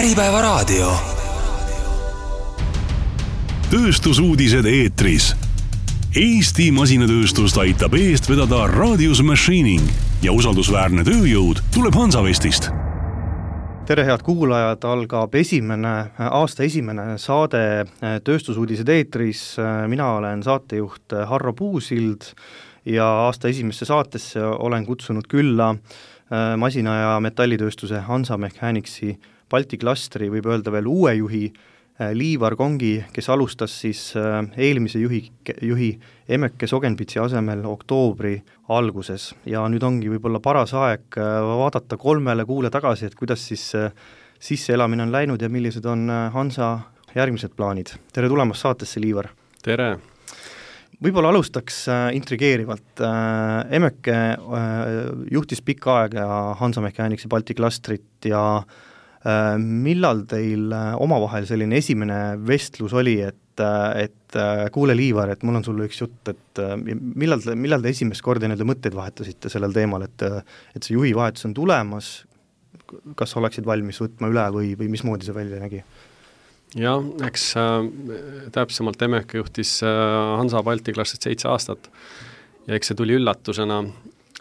Äripäevaraadio. Tööstusuudised eetris. Eesti masinatööstust aitab eest vedada Radius Machining ja usaldusväärne tööjõud tuleb Hansavestist. Tere head kuulajad, algab aasta esimene saade Tööstusuudised eetris. Mina olen saatejuht Harro Puusild ja aasta esimesse saatesse olen kutsunud külla masina- ja metallitööstuse Hansa Mechanicsi Balti klastri, võib öelda veel uue juhi Liivar Kongi, kes alustas siis eelmise juhi Emeke Sogenpitsi asemel oktoobri alguses. Ja nüüd ongi võib-olla paras aeg vaadata 3 kuule tagasi, et kuidas siis sisseelamine on läinud ja millised on Hansa järgmised plaanid. Tere tulemast saatesse, Liivar! Tere! Võib-olla alustaks intrigeerivalt. Emeke juhtis pikka aega Hansa Mechanicsi Balti klastrit ja millal teil omavahel selline esimene vestlus oli, et kuule Liivar, et mul on sulle üks jutt, et millal te esimest korda need mõtteid vahetasite sellel teemal, et see juhi vahetus on tulemas, kas oleksid valmis võtma üle või mismoodi see välja nägi? Jah, eks täpsemalt Emeke juhtis Hansa Balti klastrit 7 aastat ja eks see tuli üllatusena,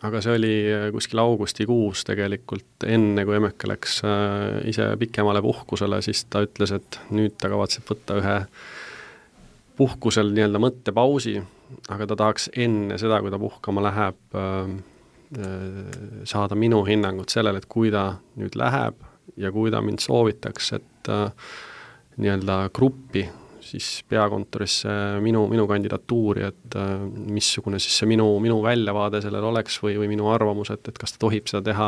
aga see oli kuskil augustikuus tegelikult, enne kui Emeke läks ise pikemale puhkusele, siis ta ütles, et nüüd ta kavatseb võtta ühe puhkusel nii-öelda mõttepausi, aga ta tahaks enne seda, kui ta puhkama läheb, saada minu hinnangut sellele, et kui ta nüüd läheb ja kui ta mind soovitaks, et nii-öelda gruppi, siis peakontorisse minu kandidatuuri, et missugune siis see minu väljavaade sellel oleks või minu arvamus, et kas ta tohib seda teha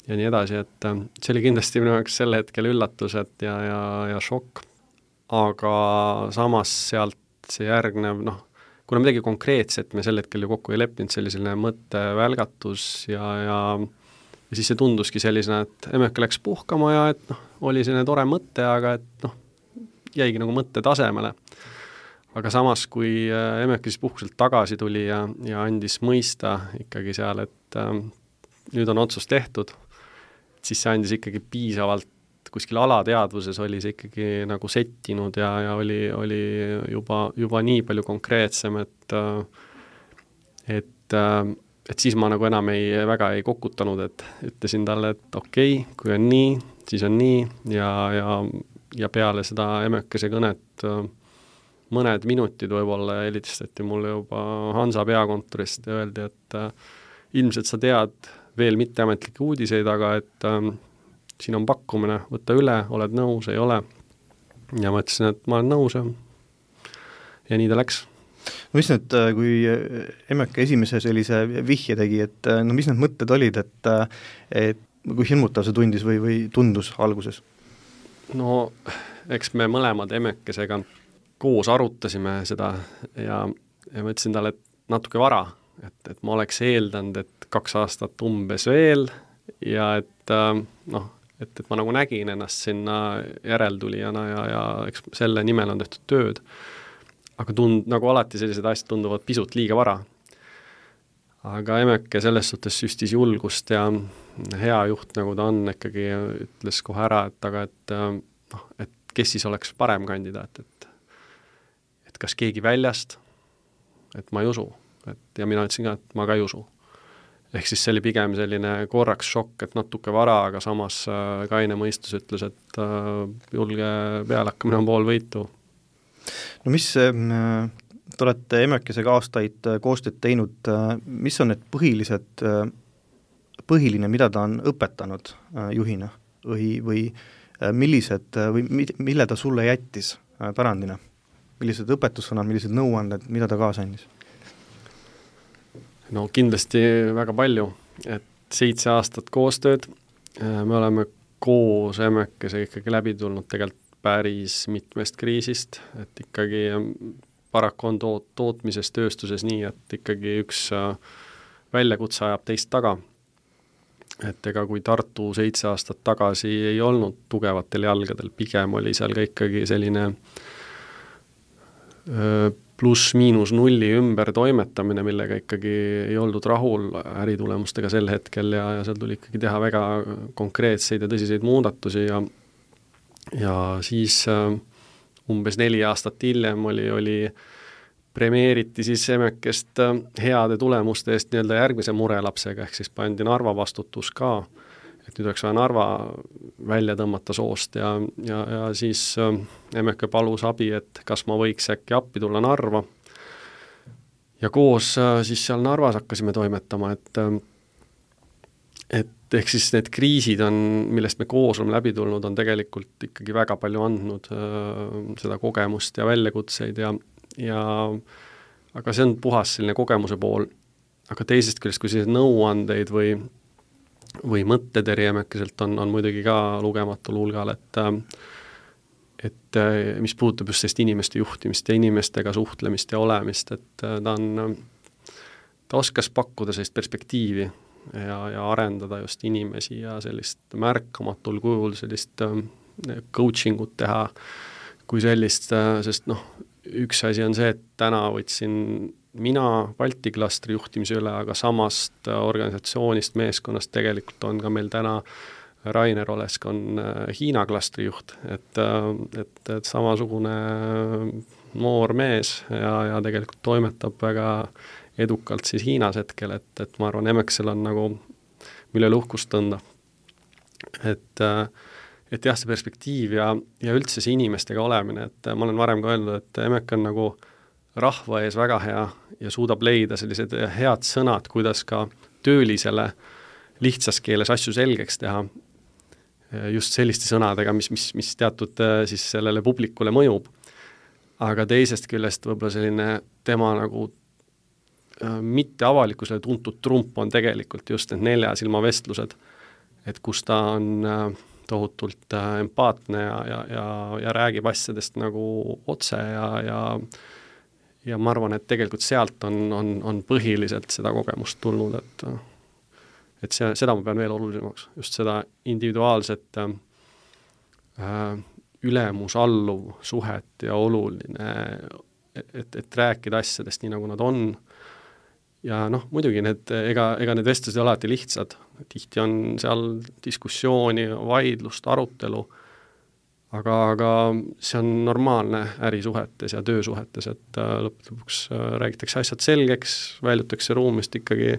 ja nii edasi, et see oli kindlasti minu jaoks selle hetkel üllatused ja šokk, aga samas sealt see järgnev, kuna midagi konkreetset me sel hetkel ju kokku ei leppinud, selline mõttevälgatus ja siis see tunduski sellisena, et Emeke läks puhkama ja et oli selline tore mõte, aga et jäigi nagu mõtte tasemele. Aga samas, kui Emeke siis puhkuselt tagasi tuli ja andis mõista ikkagi seal, et nüüd on otsus tehtud, siis see andis ikkagi piisavalt kuskil alateadvuses oli see ikkagi nagu settinud ja oli juba nii palju konkreetsem, et siis ma nagu enam väga ei kokutanud, et ütlesin talle, et okei, kui on nii, siis on nii ja peale seda Emekese kõnet mõned minutid võib-olla helistati mulle juba Hansa peakontorist ja öeldi, et ilmselt sa tead veel mitteametlikke uudiseid, aga et siin on pakkumine, võtta üle, oled nõus, ei ole. Ja ma ütlesin, et ma olen nõus ja nii ta läks. No mis nüüd, kui Emeke esimese sellise vihje tegi, et mis need mõtted olid, et kui hirmutav see tundis või tundus alguses? No, eks me mõlemad Emekesega koos arutasime seda ja ma ütlesin talle, et natuke vara, et ma oleks eeldanud, et 2 aastat umbes veel ja et ma nagu nägin ennast sinna järeltulijana ja eks selle nimel on tehtud tööd. Aga nagu alati sellised asjad tunduvad pisut liiga vara. Aga Emeke selles suhtes süstis julgust ja hea juht, nagu ta on, ikkagi ütles kohe ära, et kes siis oleks parem kandidaat, et kas keegi väljast, et ma ei usu. Ja mina ütlesin ka, et ma ka ei usu. Ehk siis see oli pigem selline korraks šokk, et natuke vara, aga samas kaine mõistus ütles, et julge pealakkamine on pool võitu. No mis, te olete Emekesega aastaid koostööd teinud, mis on need põhiline, mida ta on õpetanud juhina või millised, või mille ta sulle jättis pärandina? Millised õpetussõnad, millised nõuanded, mida ta kaasa andis? No kindlasti väga palju, et 7 aastat koostööd, me oleme koos Emekesega ikkagi läbi tulnud tegelikult päris mitmest kriisist, et ikkagi paraku on tootmises tööstuses nii, et ikkagi üks väljakutse ajab teist taga. Et ega kui Tartu 7 aastat tagasi ei olnud tugevatel jalgadel, pigem oli seal ka ikkagi selline pluss-miinus nulli ümber toimetamine, millega ikkagi ei oldud rahul äritulemustega sel hetkel ja seal tuli ikkagi teha väga konkreetseid ja tõsiseid muudatusi ja ja siis umbes 4 aastat hiljem oli premeeriti siis Emekest heade tulemuste eest nii-öelda järgmise murelapsega, ehk siis pandi Narva vastutus ka, et nüüd oleks vaja Narva välja tõmmata soost ja siis Emeke palus abi, et kas ma võiks äkki appi tulla Narva. Ja koos siis seal Narvas hakkasime toimetama, et ehk siis need kriisid on, millest me koos oleme läbi tulnud, on tegelikult ikkagi väga palju andnud seda kogemust ja väljakutseid ja aga see on puhas selline kogemuse pool, aga teisest küljest, kui sellised nõuandeid või mõtteteri Emekeselt on muidugi ka lugematul hulgal, et mis puudutab just sellist inimeste juhtimist ja inimestega suhtlemist ja olemist, et ta oskas pakkuda sellist perspektiivi ja arendada just inimesi ja sellist märkamatul kujul sellist coaching ut teha kui sellist, sest üks asi on see, et täna võtsin mina Balti klastri juhtimise üle, aga samast organisatsioonist, meeskonnast tegelikult on ka meil täna Rainer Olesk on Hiina klastri juht, et samasugune noor mees ja tegelikult toimetab väga edukalt siis Hiinas hetkel, et ma arvan, Emexel on nagu, mille uhkust tõnda. Et jah, see perspektiiv ja üldse see inimestega olemine, et ma olen varem ka öelnud, et Emek on nagu rahva ees väga hea ja suudab leida sellised head sõnad, kuidas ka töölisele lihtsas keeles asju selgeks teha, just selliste sõnadega, mis teatud siis sellele publikule mõjub. Aga teisest küljest võib-olla selline tema nagu mitte avalikkusele tuntud trump on tegelikult just need 4 silma vestlused, et kus ta on tohutult empaatne ja räägib asjadest nagu otse ja ma arvan, et tegelikult sealt on põhiliselt seda kogemust tulnud, et seda ma pean veel olulisemaks, just seda individuaalset ülemus-alluv suhet ja oluline, et rääkida asjadest nii, nagu nad on. Ja muidugi ega need vestlused ei ole alati lihtsad, tihti on seal diskussiooni, vaidlust, arutelu, aga see on normaalne ärisuhetes ja töösuhetes, et lõpuks räägitakse asjad selgeks, väljutakse ruumist ikkagi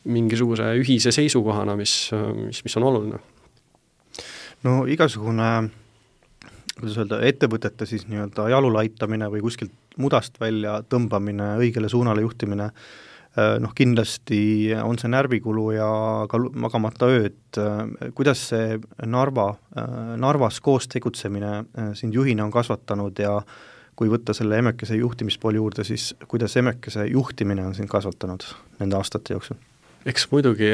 mingisuguse ühise seisukohana, mis on oluline. No igasugune, kuidas öelda, ettevõtete siis nii-öelda jalule aitamine või kuskilt mudast välja tõmbamine, õigele suunale juhtimine, kindlasti on see närvikulu ja ka magamata ööd. Kuidas see Narvas koos tegutsemine sind juhina on kasvatanud ja kui võtta selle Emekese juhtimispooli juurde, siis kuidas Emekese juhtimine on sind kasvatanud nende aastate jooksul? Eks muidugi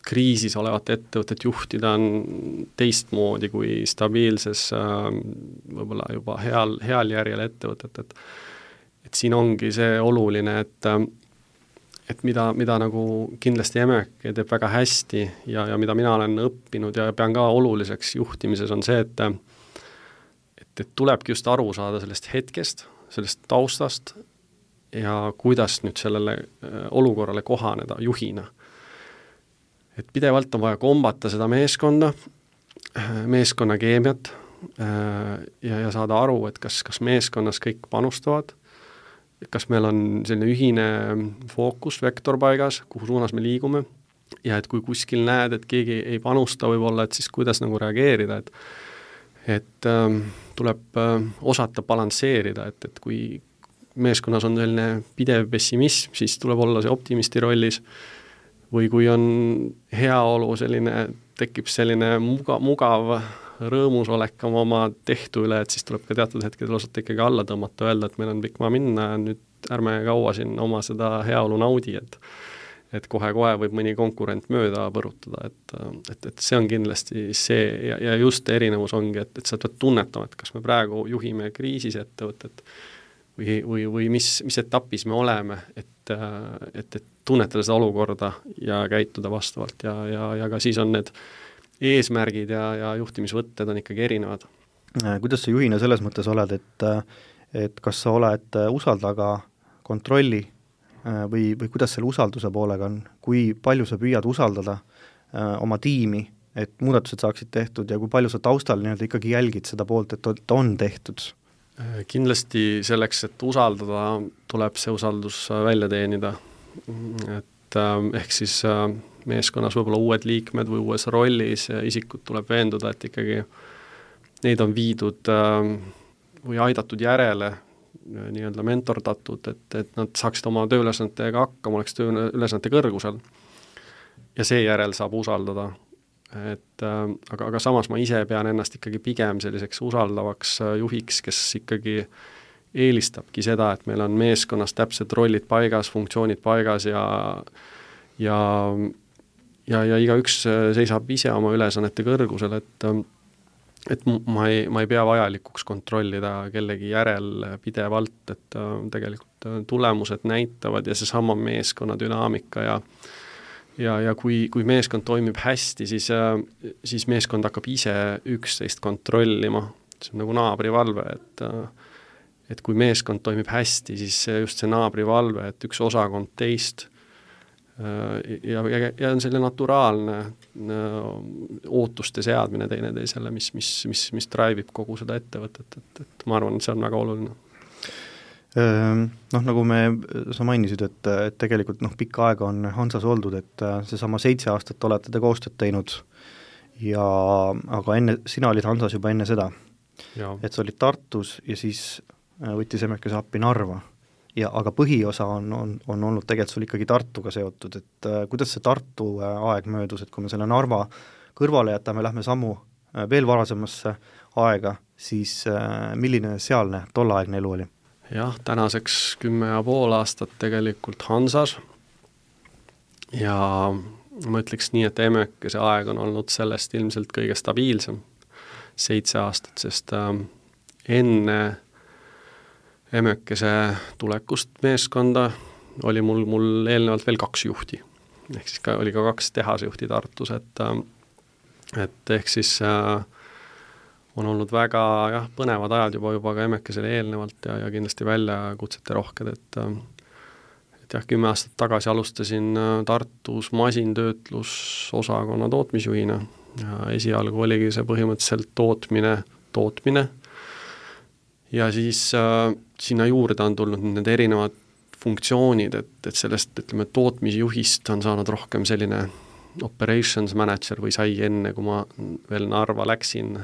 kriisis olevat ettevõtet juhtida on teistmoodi kui stabiilses võib-olla juba heal järjel ettevõtet, et siin ongi see oluline, et mida nagu kindlasti Emeke teeb väga hästi ja mida mina olen õppinud ja pean ka oluliseks juhtimises on see, et tulebki just aru saada sellest hetkest, sellest taustast ja kuidas nüüd sellele olukorrale kohaneda juhina. Et pidevalt on vaja kombata seda meeskonna keemiat ja saada aru, et kas meeskonnas kõik panustavad, kas meil on selline ühine fookus, vektor paigas, kuhu suunas me liigume ja et kui kuskil näed, et keegi ei panusta võib-olla, et siis kuidas nagu reageerida, et tuleb osata balansseerida, et kui meeskonnas on selline pidev pessimism, siis tuleb olla see optimisti rollis või kui on heaolu selline, tekib selline mugav rõõmusolek oma tehtu üle, et siis tuleb ka teatud hetkedel osata ikkagi alla tõmmata, öelda, et meil on pikk maa minna ja nüüd ärme kaua siin oma seda heaolu naudi, et kohe-kohe võib mõni konkurent mööda põrutada, et see on kindlasti see ja just erinevus ongi, et sa pead tunnetama, et kas me praegu juhime kriisis ettevõtet või mis etapis me oleme, et tunnetada seda olukorda ja käituda vastavalt ja ka siis on need eesmärgid ja juhtimisvõtted on ikkagi erinevad. Kuidas sa juhina selles mõttes oled, et kas sa oled usaldaga kontrolli või kuidas selle usalduse poolega on, kui palju sa püüad usaldada oma tiimi et muudatused saaksid tehtud ja kui palju sa taustal nii-öelda ikkagi jälgid seda poolt, et on tehtud? Kindlasti selleks, et usaldada, tuleb see usaldus välja teenida, et ehk siis meeskonnas võib-olla uued liikmed või uues rollis isikud tuleb veenduda, et ikkagi neid on viidud või aidatud järele, nii-öelda mentordatud, et nad saaksid oma tööülesannetega hakkama, oleks tööülesannete kõrgusel ja seejärel saab usaldada. Aga samas ma ise pean ennast ikkagi pigem selliseks usaldavaks juhiks, kes ikkagi eelistabki seda, et meil on meeskonnas täpsed rollid paigas, funktsioonid paigas ja igaüks seisab ise oma ülesannete kõrgusel, et ma ei pea vajalikuks kontrollida kellegi järel pidevalt, et tegelikult tulemused näitavad ja seesama meeskonna dünaamika ja kui meeskond toimib hästi, siis meeskond hakkab ise üksteist kontrollima, see on nagu naabrivalve, et kui meeskond toimib hästi, siis just see naabrivalve, et üks osakond teist ja on selline naturaalne ootuste seadmine teineteisele, mis drive'ib kogu seda ettevõtet, et ma arvan, et see on väga oluline. Nagu sa mainisid, et tegelikult pikka aega on Hansas oldud, et seesama 7 aastat olete te koostööd teinud aga sina olid Hansas juba enne seda, et sa olid Tartus ja siis võttis Emekese appi Narva. Aga põhiosa on olnud tegelikult sul ikkagi Tartuga seotud, et kuidas see Tartu aeg möödus, et kui me selle Narva kõrvale jätame, lähme sammu veel varasemasse aega, siis milline sealne tollaegne elu oli? Jah, tänaseks 10,5 aastat tegelikult Hansas ja ma ütleks nii, et Emekese aeg on olnud sellest ilmselt kõige stabiilsem 7 aastat, sest enne Emekese tulekust meeskonda oli mul eelnevalt veel 2 juhti. Ehk siis oli ka 2 tehasjuhti Tartus, et ehk siis on olnud väga põnevad ajad juba ka Emekesele eelnevalt ja kindlasti väljakutsete rohked, et 10 aastat tagasi alustasin Tartus masintöötlusosakonna tootmisjuhina ja esialgu oligi see põhimõtteliselt tootmine ja siis sinna juurde on tulnud need erinevad funktsioonid, et sellest, ütleme, tootmisjuhist on saanud rohkem selline operations manager või sai enne, kui ma veel Narva läksin,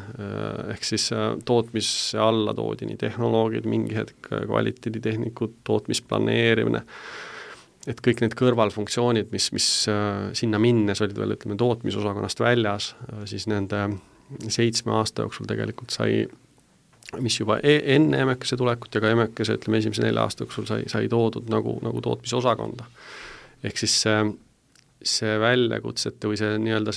ehk siis tootmise alla toodi nii tehnoloogid, mingi hetk kvaliteeditehnikud, tootmisplaneerimine, et kõik need kõrvalfunktsioonid, mis sinna minnes olid veel, ütleme, tootmisosakonnast väljas, siis nende 7 aasta jooksul tegelikult sai, mis juba enne Emekese tulekut ja ka Emekese, ütleme, esimese 4 aasta jooksul sai toodud nagu tootmisosakonda. Ehk siis see väljakutsete või see nii-öelda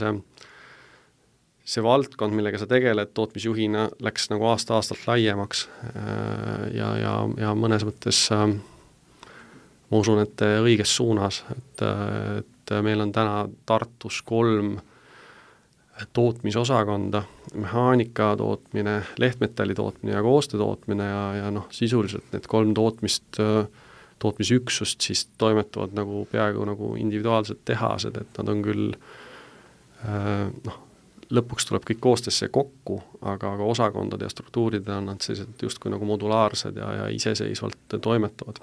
see valdkond, millega sa tegeled tootmisjuhina, läks nagu aasta-aastalt laiemaks ja mõnes mõttes ma usun, et õiges suunas, et meil on täna Tartus 3 tootmisosakonda, mehaanika tootmine, lehtmetalli tootmine ja koostöö tootmine ja sisuliselt need 3 tootmisüksust siis toimetavad nagu peaaegu nagu individuaalsed tehased, et nad on küll lõpuks tuleb kõik koostöösse kokku, aga osakondade ja struktuuride on nad sellised justkui nagu modulaarsed ja iseseisvalt toimetavad.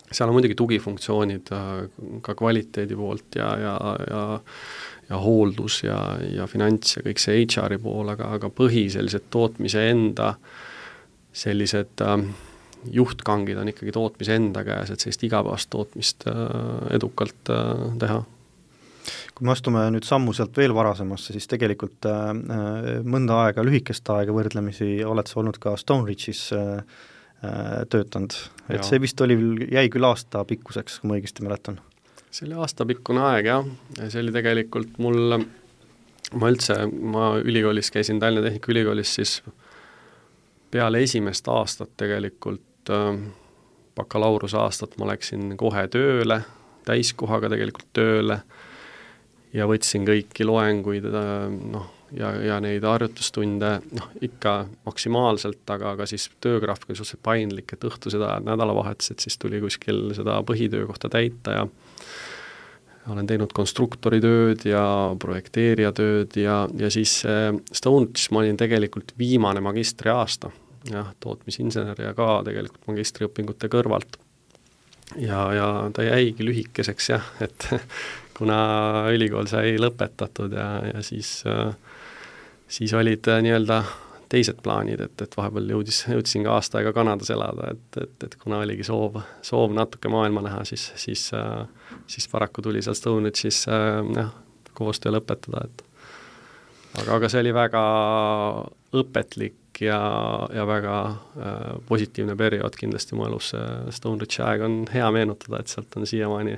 Seal on muidugi tugifunktsioonid ka kvaliteedi poolt ja hooldus ja finants ja kõik see HR-i pool, aga põhi sellised tootmise enda sellised juhtkangid on ikkagi tootmise enda käes, et sellist igapäevast tootmist edukalt teha. Kui me astume nüüd sammu sealt veel varasemasse, siis tegelikult mõnda aega, lühikest aega võrdlemisi oled sa olnud ka Stoneridge'is töötanud. Et see vist jäi küll aasta pikkuseks, kui ma õigesti mäletan. See oli aastapikkune aeg, jah. See oli tegelikult ma ülikoolis käisin Tallinna Tehnikaülikoolis, siis peale esimest aastat tegelikult bakalaureuse aastat ma läksin kohe tööle, täiskohaga tegelikult tööle ja võtsin kõiki loenguid ja neid harjutustunde ikka maksimaalselt, aga siis töögraafik oli suhteliselt paindlik, et õhtused ajad nädalavahetused, siis tuli kuskil seda põhitöökohta täita ja olen teinud konstruktori tööd ja projekteerija tööd ja siis Stoneridge'is ma olin tegelikult viimane magistriaasta, jah, tootmisinsener ja ka tegelikult magistriõpingute kõrvalt. Ja ta jäigi lühikeseks jah, et kuna ülikool sai lõpetatud ja siis olid nii-öelda teised plaanid, et vahepeal jõudsin ka aasta aega Kanadas elada, et kuna oligi soov natuke maailma näha, siis paraku tuli seal Stoneridge'is koostöö lõpetada, et aga see oli väga õpetlik ja väga positiivne periood kindlasti mu elus. Stoneridge'i aeg on hea meenutada, et sealt on siiamaani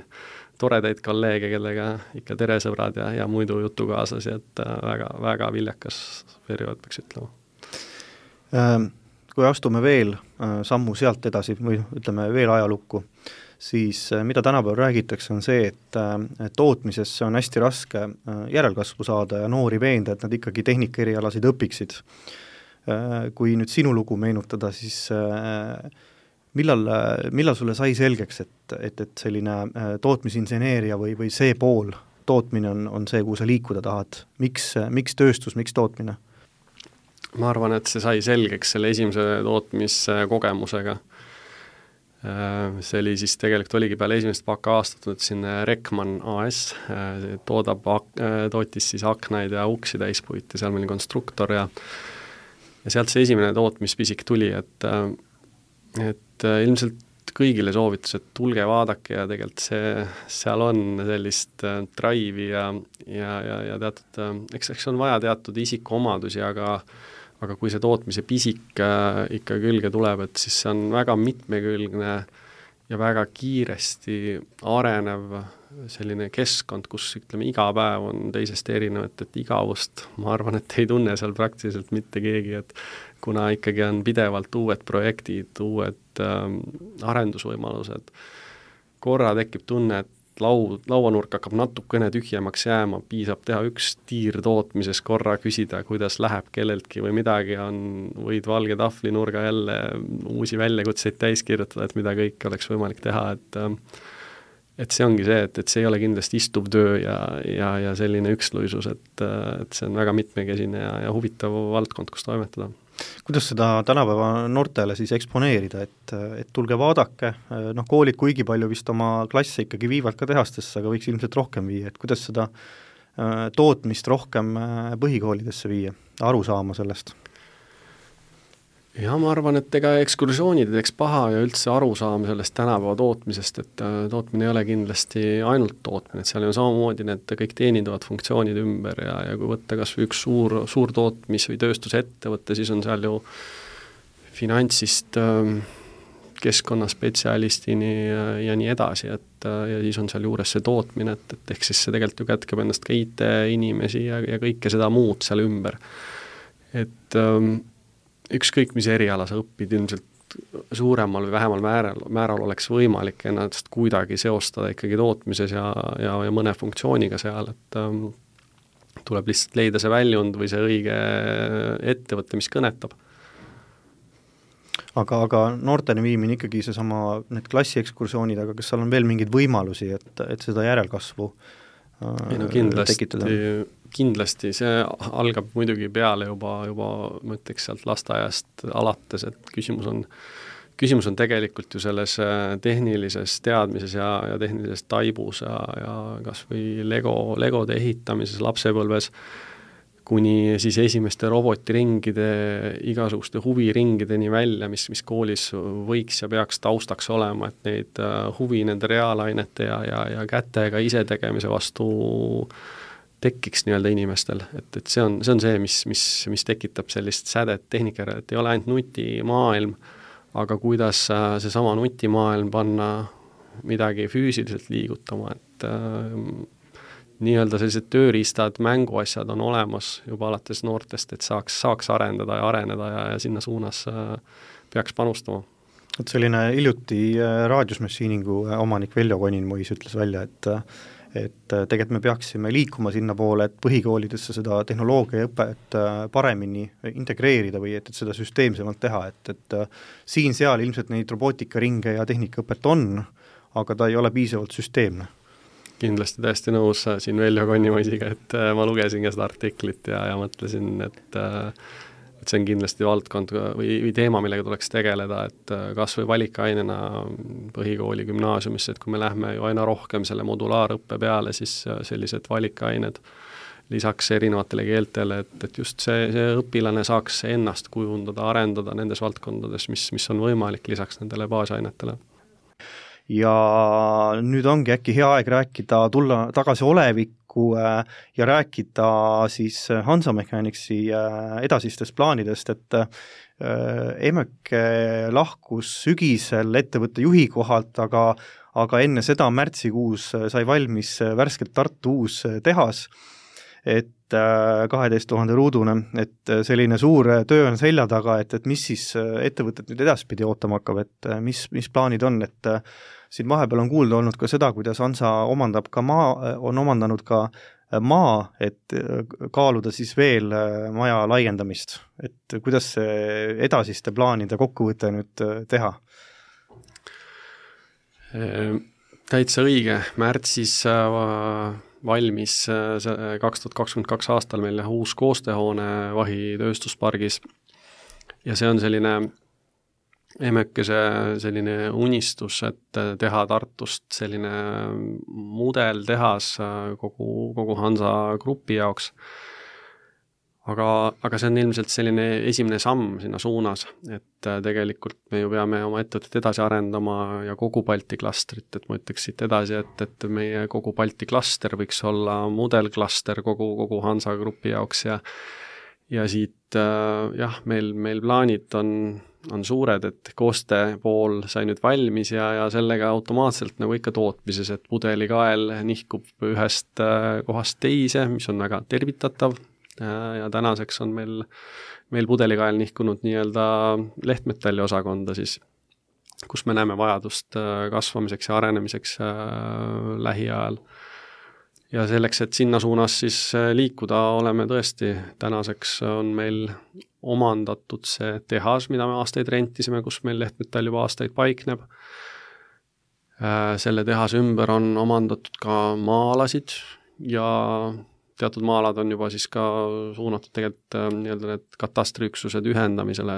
toredaid kolleege, kellega ikka teresõbrad ja muidu jutukaaslasi, et väga, väga viljakas periood, peaks ütlema. Kui astume veel sammu sealt edasi või ütleme veel ajalukku, siis mida tänapäeval räägitakse, on see, et tootmisesse on hästi raske järelkasvu saada ja noori veenda, et nad ikkagi tehnikaerialasid õpiksid. Kui nüüd sinu lugu meenutada, siis millal sulle sai selgeks, et selline tootmisinseneeria või see pool tootmine on see, kuhu sa liikuda tahad? Miks tööstus, miks tootmine? Ma arvan, et see sai selgeks selle esimese tootmiskogemusega. See oli siis tegelikult oligi peale esimest baka-aastat siin Rekman AS, tootis siis aknaid ja uksi täispuit ja seal meil konstruktor ja sealt see esimene tootmispisik tuli, et ilmselt kõigile soovitus, et tulge vaadake ja tegelikult seal on sellist drive'i ja teatud, eks on vaja teatud isikuomadusi, aga kui see tootmise pisik ikka külge tuleb, et siis see on väga mitmekülgne ja väga kiiresti arenev selline keskkond, kus ütleme iga päev on teisest erinevat, et igavust ma arvan, et ei tunne seal praktiliselt mitte keegi, et kuna ikkagi on pidevalt uued projektid, uued arendusvõimalused, korra tekib tunne, et lauanurk hakkab natukene tühjemaks jääma, piisab teha üks tiir tootmises, korra küsida, kuidas läheb kelleltki või midagi on, võid valge tahvlinurga jälle uusi väljakutseid täis kirjutada, et mida kõik oleks võimalik teha, et see ongi see, et see ei ole kindlasti istuv töö ja selline üksluisus, et see on väga mitmekesine ja huvitav valdkond, kus toimetada. Kuidas seda tänapäeva noortele siis eksponeerida, et tulge vaadake, koolid kuigi palju vist oma klasse ikkagi viivad ka tehastesse, aga võiks ilmselt rohkem viia, et kuidas seda tootmist rohkem põhikoolidesse viia, aru saama sellest? Ja ma arvan, et ega ekskursioonid ei teeks paha ja üldse aru saama sellest tänapäeva tootmisest, et tootmine ei ole kindlasti ainult tootmine, et seal on samamoodi need kõik teenindavad funktsioonid ümber ja kui võtta kas või üks suur tootmis- või tööstusettevõte, siis on seal ju finantsist keskkonnaspetsialistini ja nii edasi, ja siis on seal juures see tootmine, et ehk siis see tegelikult ju kätkeb ennast ka IT-inimesi ja kõike seda muud seal ümber. Et ükskõik, mis eriala sa õpid, ilmselt suuremal või vähemal määral oleks võimalik ennast kuidagi seostada ikkagi tootmises ja mõne funktsiooniga seal, et tuleb lihtsalt leida see väljund või see õige ettevõte, mis kõnetab. Aga noorteni viimine ikkagi seesama need klassiekskursioonid, aga kas seal on veel mingeid võimalusi, et seda järelkasvu tekitada? Kindlasti see algab muidugi peale juba ma ütleks sealt lasteaiast alates, et küsimus on tegelikult ju selles tehnilises teadmises ja tehnilises taibus ja kas või legode ehitamises lapsepõlves, kuni siis esimeste robotiringide, igasuguste huviringideni välja, mis koolis võiks ja peaks taustaks olema, et neid huvi nende reaalainete ja kätega ise tegemise vastu tekiks nii-öelda inimestel, et see on see, mis tekitab sellist sädet tehnikale, et ei ole ainult nutimaailm, aga kuidas seesama nutimaailm panna midagi füüsiliselt liigutama, et nii-öelda sellised tööriistad, mänguasjad on olemas juba alates noortest, et saaks arendada ja areneda ja sinna suunas peaks panustama. Et selline hiljuti raadiosmachiningu omanik Veljo Koninmois ütles välja, et tegelikult me peaksime liikuma sinna poole, et põhikoolidesse seda tehnoloogiaõpet paremini integreerida või et seda süsteemsemalt teha, et siin-seal ilmselt neid robootikaringe ja tehnikaõpet on, aga ta ei ole piisavalt süsteemne. Kindlasti täiesti nõus siin Veljo Konnimaisiga, et ma lugesin ka seda artiklit ja mõtlesin, et see on kindlasti valdkond või teema, millega tuleks tegeleda, et kas või valikainena põhikooli gümnaasiumisse, et kui me lähme ju aina rohkem selle modulaarõppe peale, siis sellised valikained lisaks erinevatele keeltele, et just see õpilane saaks ennast kujundada, arendada nendes valdkondades, mis on võimalik lisaks nendele baasainetele. Ja nüüd ongi äkki hea aeg rääkida, tulla tagasi olevikku ja rääkida siis Hansa Mechanicsi edasistest plaanidest, et Emeke lahkus sügisel ettevõtte juhi kohalt, aga enne seda märtsikuus sai valmis värskelt Tartu uus tehas, et 12 000 ruudune, et selline suur töö on selja taga, et mis siis ettevõtet nüüd edaspidi ootama hakkab, et mis plaanid on, et siin vahepeal on kuulda olnud ka seda, kuidas Hansa omandab ka on omandanud ka maa, et kaaluda siis veel maja laiendamist, et kuidas see edasiste plaanide kokkuvõte nüüd teha? Täitsa õige, märtsis valmis 2022 aastal meil uus koostööhoone Vahi tööstuspargis ja see on selline Emekese selline unistus, et teha Tartust selline mudeltehas kogu Hansa grupi jaoks. Aga see on ilmselt selline esimene samm sinna suunas, et tegelikult me ju peame oma ettevõtet edasi arendama ja kogu Balti klastrit, et ma ütleks siit edasi, et meie kogu Balti klaster võiks olla mudelklaster kogu Hansa grupi jaoks ja siit meil plaanid on suured, et koostöö pool sai nüüd valmis ja sellega automaatselt nagu ikka tootmises, et pudelikael nihkub ühest kohast teise, mis on väga tervitatav ja tänaseks on meil pudelikael nihkunud nii-öelda lehtmetalli osakonda siis, kus me näeme vajadust kasvamiseks ja arenemiseks lähiajal. Ja selleks, et sinna suunas siis liikuda, oleme tõesti, tänaseks on meil omandatud see tehas, mida me aastaid rentisime, kus meil lehtmetall juba aastaid paikneb. Selle tehase ümber on omandatud ka maa-alasid ja teatud maa-alad on juba siis ka suunatud tegelikult nii-öelda need katastriüksused ühendamisele,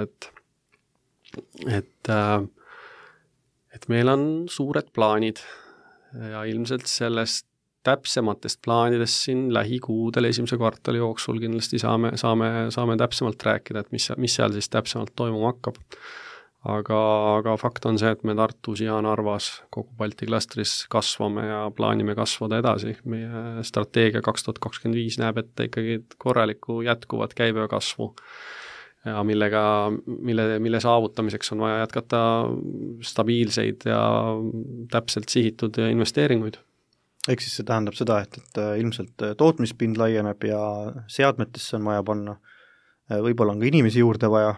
et meil on suured plaanid ja ilmselt sellest täpsematest plaanidest siin lähikuudel esimese kvartali jooksul kindlasti saame täpsemalt rääkida, et mis seal siis täpsemalt toimuma hakkab. Aga fakt on see, et me Tartus ja Narvas kogu Balti klastris kasvame ja plaanime kasvada edasi. Meie strateegia 2025 näeb ette ikkagi korralikku jätkuvat käibekasvu, ja mille saavutamiseks on vaja jätkata stabiilseid ja täpselt sihitud investeeringuid. Ehk siis see tähendab seda, et ilmselt tootmispind laieneb ja seadmetesse on vaja panna, võib-olla on ka inimesi juurde vaja.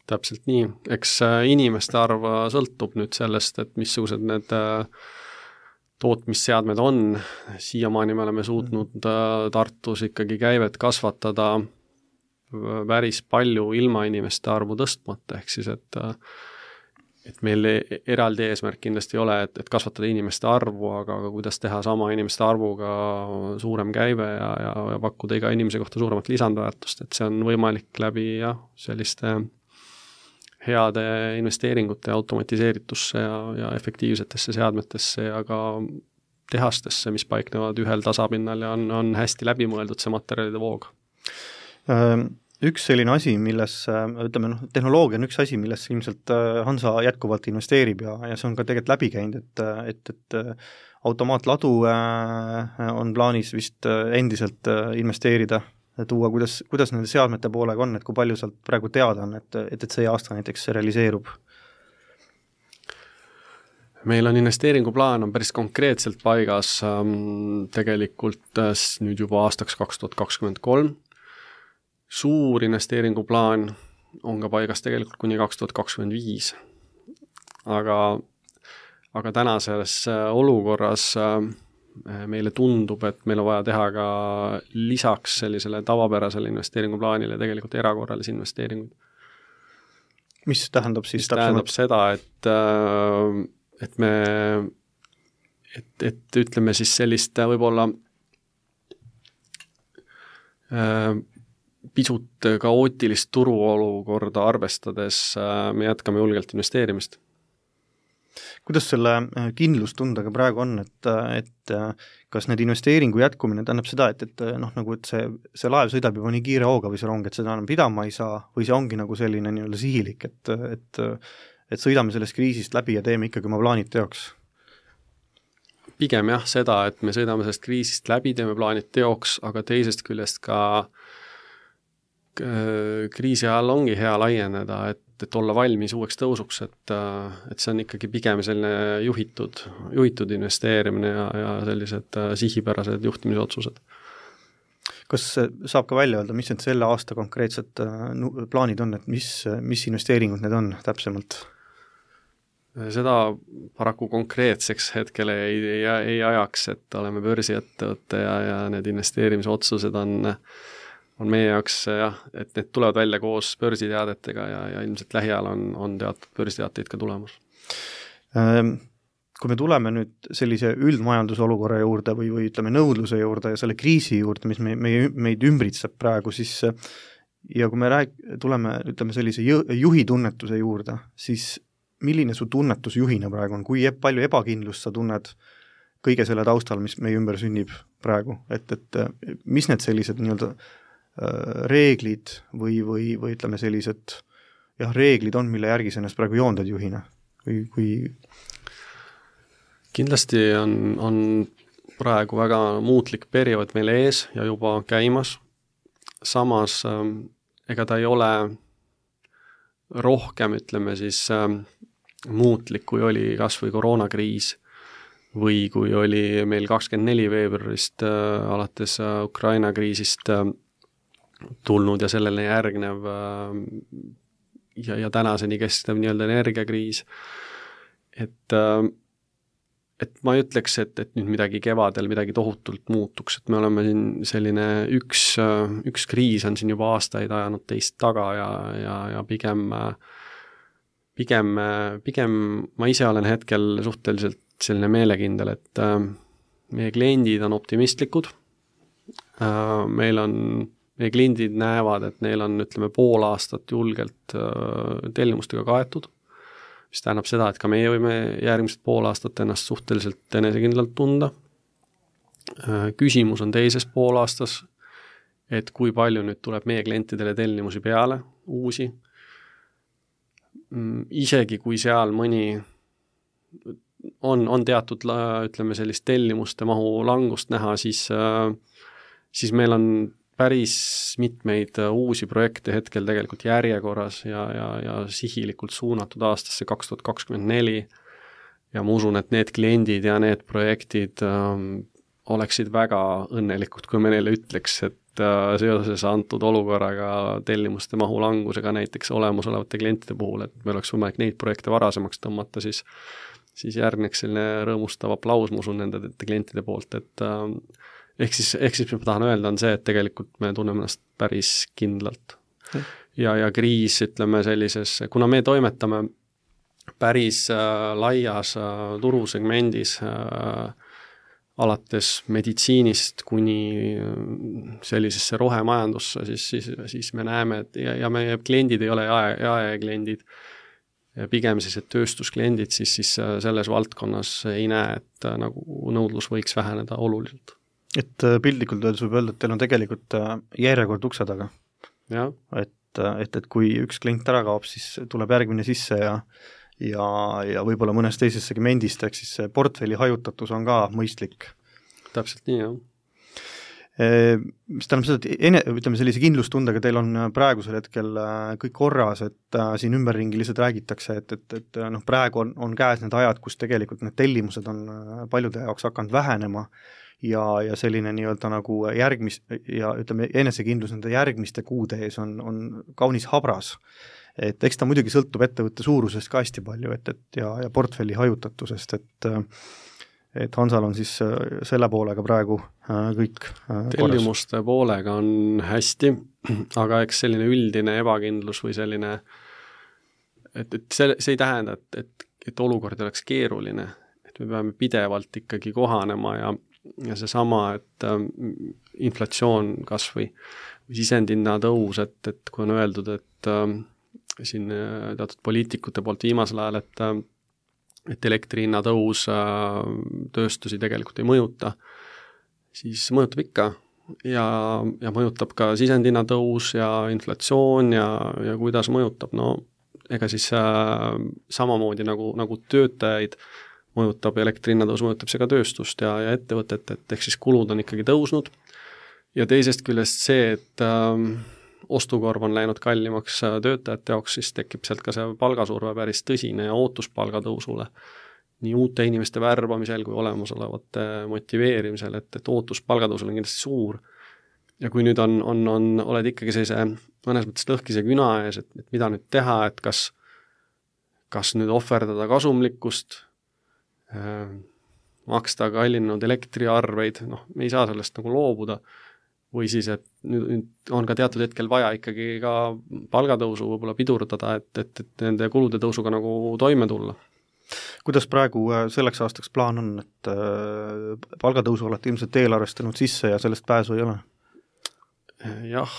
Täpselt nii, eks inimeste arv sõltub nüüd sellest, et missugused need tootmisseadmed on. Siiamaani me oleme suutnud Tartus ikkagi käivet kasvatada päris palju ilma inimeste arvu tõstmata, ehk siis, et meil eraldi eesmärk kindlasti ei ole, et kasvatada inimeste arvu, aga kuidas teha sama inimeste arvuga suurem käive ja pakkuda iga inimese kohta suuremat lisandväärtust, et see on võimalik läbi selliste heade investeeringute automatiseeritusse ja efektiivsetesse seadmetesse ja ka tehastesse, mis paiknevad ühel tasapinnal ja on hästi läbimõeldud see materjalide voog. Üks selline asi, milles, tehnoloogia on üks asi, milles ilmselt Hansa jätkuvalt investeerib ja see on ka tegelikult läbi käinud, et automaatladu on plaanis vist endiselt investeerida, tuua, kuidas nende seadmete poolega on, et kui palju sealt praegu teada on, et see aasta näiteks realiseerub? Meil on investeeringuplaan on päris konkreetselt paigas tegelikult nüüd juba aastaks 2023. Suur investeeringuplaan on ka paigas tegelikult kuni 2025. Aga tänases olukorras meile tundub, et meil on vaja teha ka lisaks sellisele tavapärasele investeeringuplaanile tegelikult erakorralisi investeeringuid. Mis tähendab siis tähendab seda, et me et ütleme siis sellist võib-olla pisut kaootilist turuolukorda arvestades me jätkame julgelt investeerimist. Kuidas selle kindlustundega praegu on, et kas need investeeringu jätkumine tähendab seda, et nagu et see laev sõidab juba nii kiire hooga või see rong, et seda enam pidama ei saa, või see ongi nagu selline nii-öelda sihilik, et sõidame sellest kriisist läbi ja teeme ikkagi oma plaanid teoks? Pigem jah seda, et me sõidame sellest kriisist läbi, teeme plaanid teoks, aga teisest küljest ka kriisi ajal ongi hea laieneda, et olla valmis uueks tõusuks, et see on ikkagi pigem selline juhitud investeerimine ja sellised sihipärased juhtimisotsused. Kas saab ka välja öelda, mis need selle aasta konkreetsed plaanid on, et mis investeeringud need on täpsemalt? Seda paraku konkreetseks hetkel ei ajaks, et oleme börsiettevõtte ja need investeerimisotsused on meie jaoks jah, et need tulevad välja koos börsiteadetega ja ilmselt lähiajal on teatud börsiteateid ka tulemas. Kui me tuleme nüüd sellise üldmajandusolukorra juurde või ütleme nõudluse juurde ja selle kriisi juurde, mis meid ümbritseb praegu, siis ja kui me tuleme ütleme sellise juhi tunnetuse juurde, siis milline su tunnetus juhina praegu on, kui palju ebakindlust sa tunned kõige selle taustal, mis meie ümber sünnib praegu, et mis need sellised nii-öelda reeglid või ütleme sellised reeglid on, mille järgi sa ennast praegu joondad juhina? Kindlasti on praegu väga muutlik periood meil ees ja juba käimas. Samas ega ta ei ole rohkem, ütleme siis, muutlik, kui oli kas või koroonakriis või kui oli meil 24 veebruarist alates Ukraina kriisist tulnud ja sellele järgnev ja tänaseni kestev nii-öelda energiakriis. Et ma ei ütleks, et nüüd midagi kevadel midagi tohutult muutuks, et me oleme siin selline üks kriis on siin juba aastaid ajanud teist taga ja pigem ma ise olen hetkel suhteliselt selline meelekindel, et meie kliendid on optimistlikud, meie kliendid näevad, et neil on, ütleme, pool aastat julgelt tellimustega kaetud, mis tähendab seda, et ka meie võime järgmised pool aastat ennast suhteliselt enesekindlalt tunda. Küsimus on teises poolaastas, et kui palju nüüd tuleb meie klientidele tellimusi peale, uusi. Isegi kui seal mõni on teatud, ütleme, sellist tellimuste mahu langust näha, siis meil on päris mitmeid uusi projekte hetkel tegelikult järjekorras ja sihilikult suunatud aastasse 2024 ja ma usun, et need kliendid ja need projektid oleksid väga õnnelikud, kui me neile ütleks, et seoses antud olukorraga tellimuste mahu langusega näiteks olemasolevate klientide puhul, et meil oleks võimalik neid projekte varasemaks tõmmata, siis järgneks selline rõõmustav aplaus, ma usun, nende klientide poolt, et ehk siis ma tahan öelda on see, et tegelikult me tunneme ennast päris kindlalt. Ja kriis, ütleme sellises, kuna me toimetame päris laias turusegmendis alates meditsiinist kuni sellisesse rohemajandusse, siis me näeme, et ja meie kliendid ei ole jaekliendid, pigem sellised tööstuskliendid, siis selles valdkonnas ei näe, et nagu nõudlus võiks väheneda oluliselt. Et piltlikult öeldes võib öelda, et teil on tegelikult järjekord ukse taga. Ja. Et kui üks klient ära kaob, siis tuleb järgmine sisse ja võib-olla mõnes teises segmendist, ehk siis see portfelli hajutatus on ka mõistlik. Täpselt nii, jah. Mis tähendab seda, et ütleme sellise kindlustundega teil on praegusel hetkel kõik korras, et siin ümberringi lihtsalt räägitakse, et praegu on käes need ajad, kus tegelikult need tellimused on paljude jaoks hakanud vähenema ja selline nii-öelda nagu ja ütleme enesekindlus nende järgmiste kuude ees on kaunis habras. Et eks ta muidugi sõltub ettevõtte suurusest ka hästi palju ja portfelli hajutatusest, et Hansal on siis selle poolega praegu kõik korras. Tellimuste poolega on hästi, aga eks selline üldine ebakindlus või selline, et see ei tähenda, et olukord oleks keeruline, me peame pidevalt ikkagi kohanema ja seesama, et inflatsioon kas või sisendhinna tõus, et kui on öeldud, et siin teatud poliitikute poolt viimasel ajal, et elektri hinna tõus tööstusi tegelikult ei mõjuta, siis mõjutab ikka ja mõjutab ka sisendhinna tõus ja inflatsioon ja kuidas mõjutab, no ega siis samamoodi nagu töötajaid mõjutab elektri hinnatõus, mõjutab see ka tööstust ja ettevõtet, et ehk siis kulud on ikkagi tõusnud ja teisest küljest see, et ostukorv on läinud kallimaks töötajate jaoks, siis tekib sealt ka see palgasurve päris tõsine ja ootus palgatõusule nii uute inimeste värbamisel kui olemasolevate motiveerimisel, et ootus palgatõusule on kindlasti suur ja kui nüüd oled ikkagi sellise mõnes mõttes lõhkise küna ees, et mida nüüd teha, et kas nüüd ohverdada kasumlikkust, maksta kallinenud elektriarveid, me ei saa sellest nagu loobuda, või siis, et nüüd on ka teatud hetkel vaja ikkagi ka palgatõusu võib-olla pidurdada, et nende kulude tõusuga nagu toime tulla. Kuidas praegu selleks aastaks plaan on, et palgatõusu olete ilmselt eelarvestanud sisse ja sellest pääsu ei ole? Jah,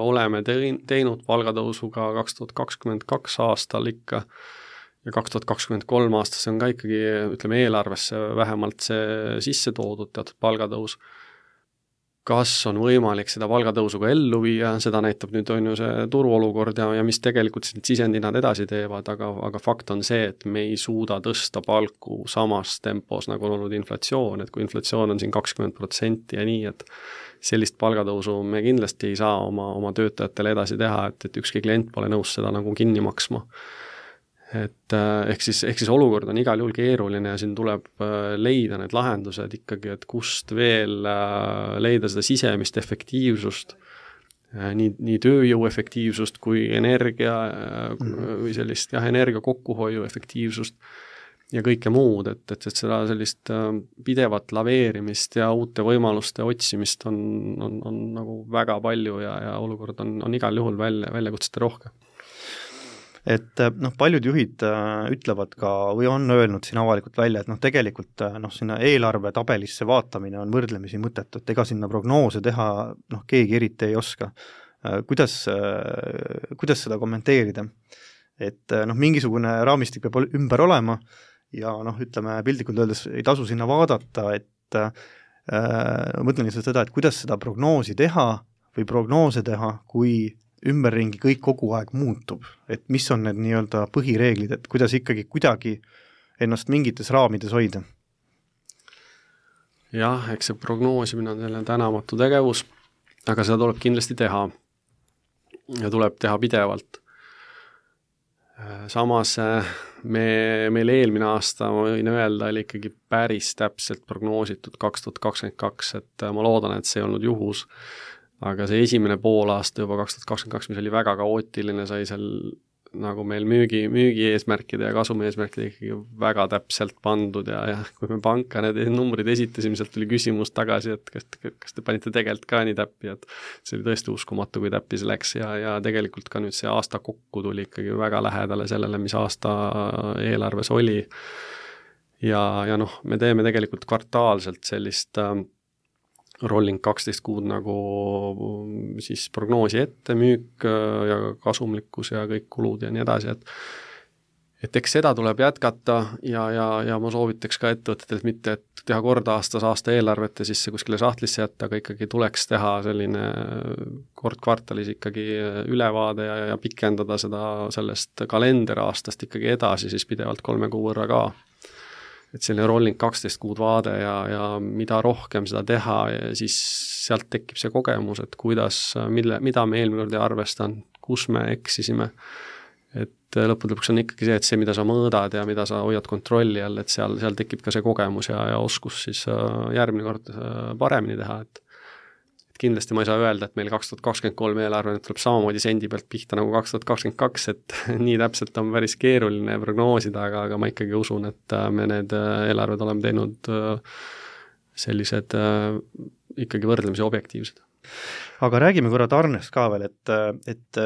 oleme teinud palgatõusu ka 2022 aastal ikka ja 2023 aastas on ka ikkagi, ütleme, eelarvesse vähemalt see sisse toodud teatud palgatõus. Kas on võimalik seda palgatõusu ka ellu viia, seda näitab nüüd on ju see turuolukord ja mis tegelikult sisendhinnad edasi teevad, aga fakt on see, et me ei suuda tõsta palku samas tempos, nagu on olnud inflatsioon, et kui inflatsioon on siin 20% ja nii, et sellist palgatõusu me kindlasti ei saa oma töötajatele edasi teha, et ükski klient pole nõus seda nagu kinni maksma. Et ehk siis olukord on igal juhul keeruline ja siin tuleb leida need lahendused ikkagi, et kust veel leida seda sisemist efektiivsust, nii tööjõu efektiivsust kui energia või sellist energia kokkuhoiu efektiivsust ja kõike muud, et seda sellist pidevat laveerimist ja uute võimaluste otsimist on nagu väga palju ja olukord on igal juhul väljakutsete rohke. Et paljud juhid ütlevad ka või on öelnud siin avalikult välja, et tegelikult sinna eelarve tabelisse vaatamine on võrdlemisi mõttetu, et ega sinna prognoose teha keegi eriti ei oska. Kuidas seda kommenteerida? Et mingisugune raamistik peab ümber olema ja ütleme piltlikult öeldes ei tasu sinna vaadata, et mõtlen lihtsalt seda, et kuidas seda prognoosi teha või prognoose teha, kui ümberringi kõik kogu aeg muutub, et mis on need nii-öelda põhireeglid, et kuidas ikkagi kuidagi ennast mingites raamides hoida? Jah, eks see prognoosimine on selline tänamatu tegevus, aga seda tuleb kindlasti teha ja tuleb teha pidevalt. Samas meil eelmine aasta, ma võin öelda, oli ikkagi päris täpselt prognoositud 2022, et ma loodan, et see ei olnud juhus. Aga see esimene poolaasta juba 2022, mis oli väga kaootiline, sai seal nagu meil müügi eesmärkide ja kasumi eesmärkide ikkagi väga täpselt pandud ja kui me panka need numbrid esitasime, sealt tuli küsimus tagasi, et kas te panite tegelikult ka nii täppi, et see oli tõesti uskumatu, kui täppi see läks ja tegelikult ka nüüd see aasta kokku tuli ikkagi väga lähedale sellele, mis aasta eelarves oli ja me teeme tegelikult kvartaalselt sellist rolling 12 kuud nagu siis prognoosi ette, müük ja kasumlikkus ja kõik kulud ja nii edasi, et eks seda tuleb jätkata ja ma soovitaks ka ettevõtetelt mitte, et teha korda aastas aasta eelarvet ja siis see kuskile sahtlisse jätta, aga ikkagi tuleks teha selline kord kvartalis ikkagi ülevaade ja pikendada seda sellest kalenderaastast ikkagi edasi siis pidevalt 3 kuu võrra ka. Et selline rolling 12 kuud vaade ja mida rohkem seda teha ja siis sealt tekib see kogemus, et mida me eelmine kord ei arvestan, kus me eksisime. Et lõppude lõpuks on ikkagi see, et see, mida sa mõõdad ja mida sa hoiad kontrolli all, et seal tekib ka see kogemus ja oskus siis järgmine kord paremini teha, et kindlasti ma ei saa öelda, et meil 2023 eelarve tuleb samamoodi sendi pealt pihta nagu 2022, et nii täpselt on päris keeruline prognoosida, aga ma ikkagi usun, et me need eelarved oleme teinud sellised ikkagi võrdlemisi objektiivsed. Aga räägime korra tarnest ka veel, et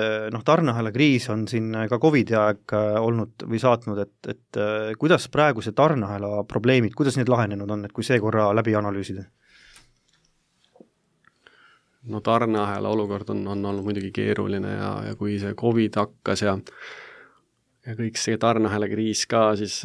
tarneahela kriis on siin ka COVID-i aeg olnud või saatnud, et kuidas praegu see tarneahela probleemid, kuidas need lahenenud on, et kui see korra läbi analüüsida? No tarneahela olukord on olnud muidugi keeruline ja kui see COVID hakkas ja kõik see tarneahela kriis ka, siis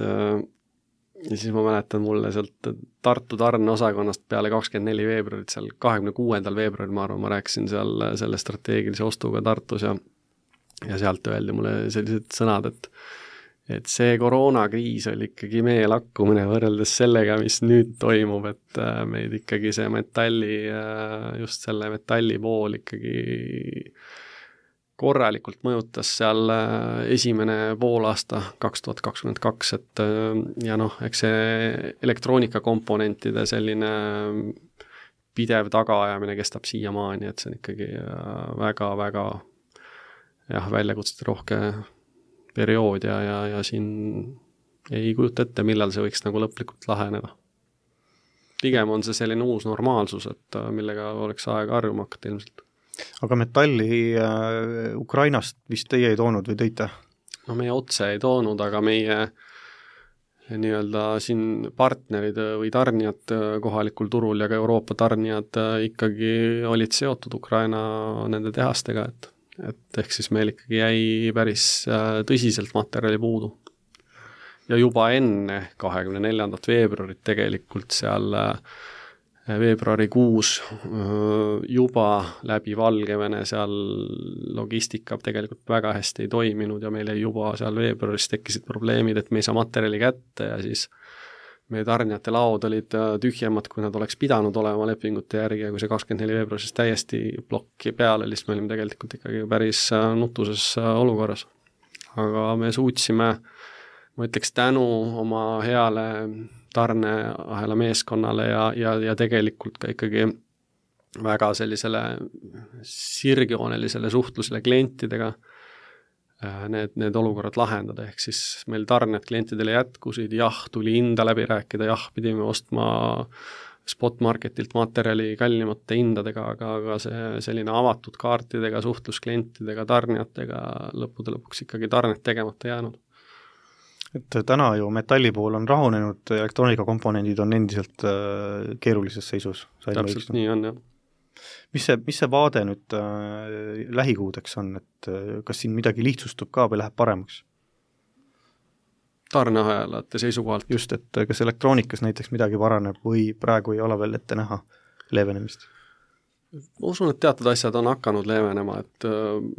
ma mäletan mulle sealt Tartu tarneosakonnast peale 24 veebruarit, seal 26. veebruaril, ma arvan, ma rääkisin seal selle strateegilise ostuga Tartus ja sealt öeldi mulle sellised sõnad, et see koroonakriis oli ikkagi meie lakkumine võrreldes sellega, mis nüüd toimub, et meid ikkagi see just selle metalli pool ikkagi korralikult mõjutas seal esimene poolaasta 2022, et ja eks see elektroonikakomponentide selline pidev tagaajamine kestab siiamaani, et see on ikkagi väga-väga väljakutsete rohke periood ja siin ei kujuta ette, millal see võiks nagu lõplikult laheneda. Pigem on see selline uus normaalsus, et millega oleks aega harjuma hakata ilmselt. Aga metalli Ukrainast vist teie ei toonud või tõite? No meie otse ei toonud, aga meie nii-öelda siin partnerid või tarnijad kohalikul turul ja ka Euroopa tarnijad ikkagi olid seotud Ukraina nende tehastega, et ehk siis meil ikkagi jäi päris tõsiselt materjali puudu. Ja juba enne 24. veebruarit tegelikult seal veebruarikuus juba läbi Valgevene seal logistika tegelikult väga hästi ei toiminud ja meil juba seal veebruaris tekkisid probleemid, et me ei saa materjali kätte ja siis meie tarnijate laod olid tühjemad, kui nad oleks pidanud olema lepingute järgi ja kui see 24 veebruaris täiesti plokki peale, siis me olime tegelikult ikkagi päris nutuses olukorras. Aga me suutsime, ma ütleks tänu oma heale tarneahela meeskonnale ja tegelikult ka ikkagi väga sellisele sirgjoonelisele suhtlusele klientidega need olukorrad lahendada, ehk siis meil tarned klientidele jätkusid, tuli hinda läbi rääkida, pidime ostma spotmarketilt materjali kallimate hindadega, aga see selline avatud kaartidega, suhtlus klientidega, tarnijatega lõppude lõpuks ikkagi tarned tegemata jäänud. Et täna ju metalli pool on rahunenud, elektroonikakomponendid on endiselt keerulises seisus. Täpselt nii on, jah. Mis see vaade nüüd lähikuudeks on, et kas siin midagi lihtsustub ka või läheb paremaks? Tarneahelate seisukohalt. Just, et kas elektroonikas näiteks midagi paraneb või praegu ei ole veel ette näha leevenemist? Ma usun, et teatud asjad on hakanud leevenema, et